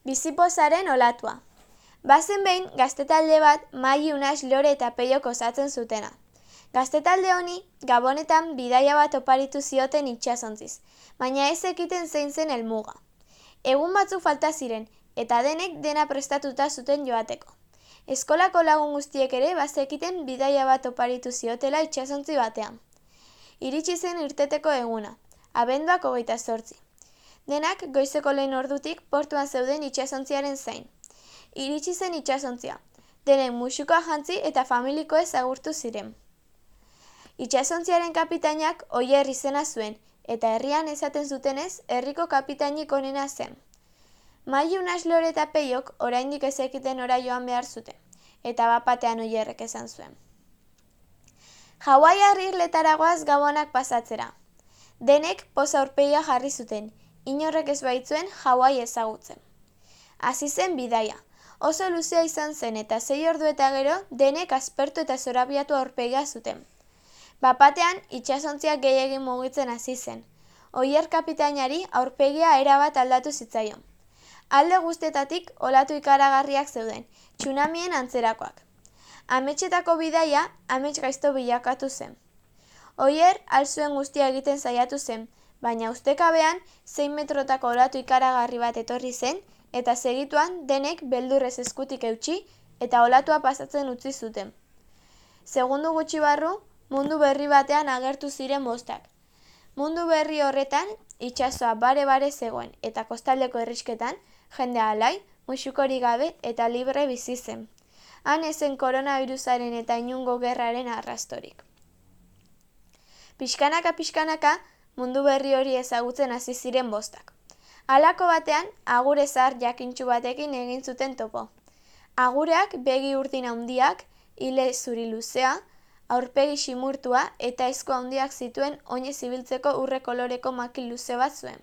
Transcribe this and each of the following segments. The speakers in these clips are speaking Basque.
Bizipozaren olatua. Bazen behin, gaztetalde bat Mai, Unas, Lore eta Peiok osatzen zutena. Gaztetalde honi, Gabonetan bidaia bat oparitu zioten itsasontziz, baina ez ekiten zein zen helmuga. Egun batzuk falta ziren, eta denek dena prestatuta zuten joateko. Eskolako lagun guztiek ere bazekiten bidaia bat oparitu ziotela itsasontzi batean. Iritsi zen irteteko eguna, abenduak 28. Denak goizeko lehen ordutik portuan zeuden itsasontziaren zain. Iritsi zen itsasontzia, denek musukoa jantzi eta familikoez agurtu ziren. Itsasontziaren kapitainak Oier izena zuen, eta herrian esaten zutenez, herriko kapitainik onena zen. Mai, Unas, Lore eta Peiok oraindik ez zekiten ora joan behar zuten, eta bapatean Oierrek esan zuen. Hawaiiar irletara goaz Gabonak pasatzera. Denek poza aurpegia jarri zuten, inorrek ez baitzuen Hawaii ezagutzen. Hasi zen bidaia, oso luzea izan zen eta 6 ordu eta gero denek aspertu eta zorabiatu aurpegia zuten. Bapatean itsasontziak gehiegi mugitzen hasi zen. Oier kapitainari aurpegia erabat aldatu zitzaion. Alde guztietatik olatu ikaragarriak zeuden, tsunamien antzerakoak. Ametsetako bidaia amets gaizto bilakatu zen. Oier alzuen guztia egiten saiatu zen, baina ustekabean 6 metrotako olatu ikaragarri bat etorri zen, eta segituan denek beldurrez eskutik eutsi eta olatua pasatzen utzi zuten. Segundu gutxi barru, mundu berri batean agertu ziren bostak. Mundu berri horretan, itsasoa bare-bare zegoen, eta kostaldeko herrisketan, jendea alai, musukorik gabe eta libre bizi zen. Han ezen koronabirusaren eta inungo gerraren arrastorik. Pixkanaka, mundu berri hori ezagutzen hasi ziren bostak. Halako batean, agure zahar jakintsu batekin egin zuten topo. Agureak begi urdin handiak, ile zuri luzea, aurpegi ximurtua eta esku handiak zituen oinez ibiltzeko urre koloreko makil luze bat zuen.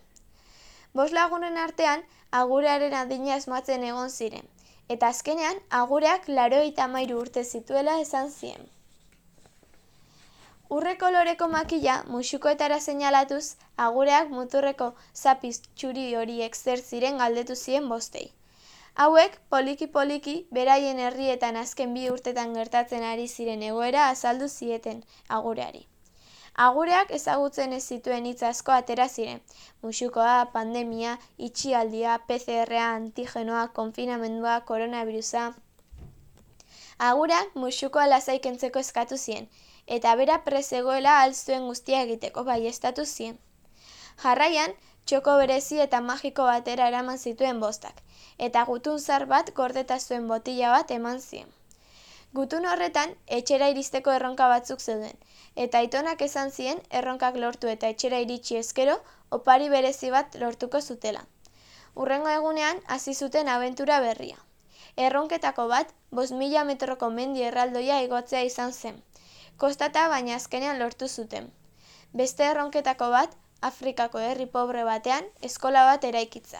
5 lagunen artean, agurearen adina asmatzen egon ziren, eta azkenean agureak 93 urte zituela esan zien. Urre koloreko makila musukoetara seinalatuz, agureak muturreko zapiz txuri horiek zer ziren galdetu zien bostei. Hauek, poliki-poliki, beraien herrietan azken 2 urtetan gertatzen ari ziren egoera azaldu zieten agureari. Agureak ezagutzen ez zituen hitz asko atera ziren. Musukoa, pandemia, itxialdia, PCR-a, antigenoa, konfinamendua, koronavirusa. Agureak musukoa lasai kentzeko eskatu zien, eta bera prezegoela alzuen guztia egiteko baieztatu zien. Jarraian, txoko berezi eta magiko batera eraman zituen bostak, eta gutun zar bat gordeta zuen botila bat eman zien. Gutun horretan, etxera iristeko erronka batzuk zeuden, eta aitonak esan zien erronkak lortu eta etxera iritsi ezkero, opari berezi bat lortuko zutela. Hurrengo egunean, hasi zuten abentura berria. Erronketako bat, 5.000 metroko mendi erraldoia igotzea izan zen. Kostata baina azkenean lortu zuten. Beste erronketako bat, Afrikako herri pobre batean, eskola bat eraikitza.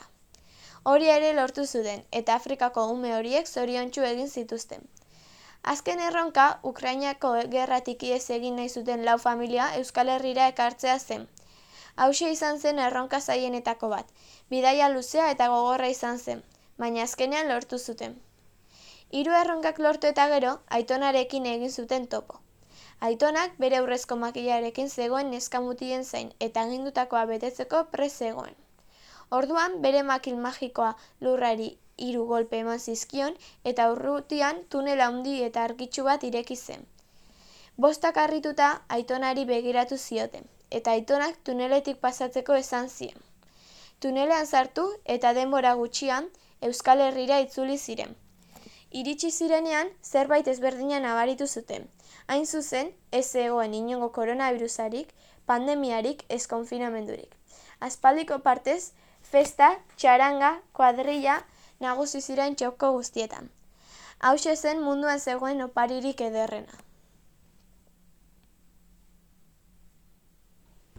Hori ere lortu zuten, eta Afrikako ume horiek zoriontsu egin zituzten. Azken erronka, Ukrainako gerratik ihes egin nahi zuten 4 familia Euskal Herrira ekartzea zen. Hauxe izan zen erronka zaienetako bat, bidaia luzea eta gogorra izan zen, baina azkenean lortu zuten. 3 erronkak lortu eta gero, aitonarekin egin zuten topo. Aitonak bere urrezko makilarekin zegoen neskamutilen zain eta agindutakoa betetzeko prest zegoen. Orduan bere makil magikoa lurrari 3 golpe eman zizkion eta urrutian tunel handi eta argitsu bat ireki zen. Bostak harrituta aitonari begiratu zioten, eta aitonak tuneletik pasatzeko esan zien. Tunelean sartu eta denbora gutxian Euskal Herrira itzuli ziren. Iritsi zirenean zerbait ezberdina nabaritu zuten. Hain zuzen, ez zegoen inongo koronavirusarik, pandemiarik, ez konfinamendurik. Aspaldiko partez, festa, txaranga, kuadrilla, nagusi ziren txoko guztietan. Hauxe zen munduan zegoen oparirik ederrena.